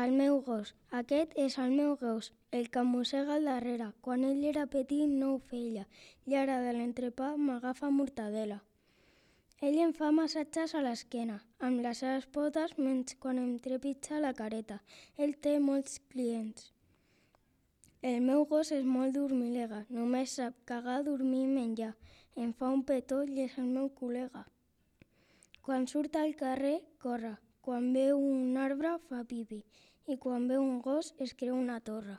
El meu gos. Aquest és el meu gos, el que em mossega al darrere. Quan ell era petit no ho feia i ara de l'entrepà m'agafa mortadela. Ell em fa massatges a l'esquena, amb les seves potes menys quan em trepitja la careta. Ell té molts clients. El meu gos és molt dormilega, només sap cagar, dormir i menjar. Em fa un petó i és el meu col·lega. Quan surt al carrer, corre. Quan veu un arbre, fa pipi. I quan veu un gos, es creu una torre.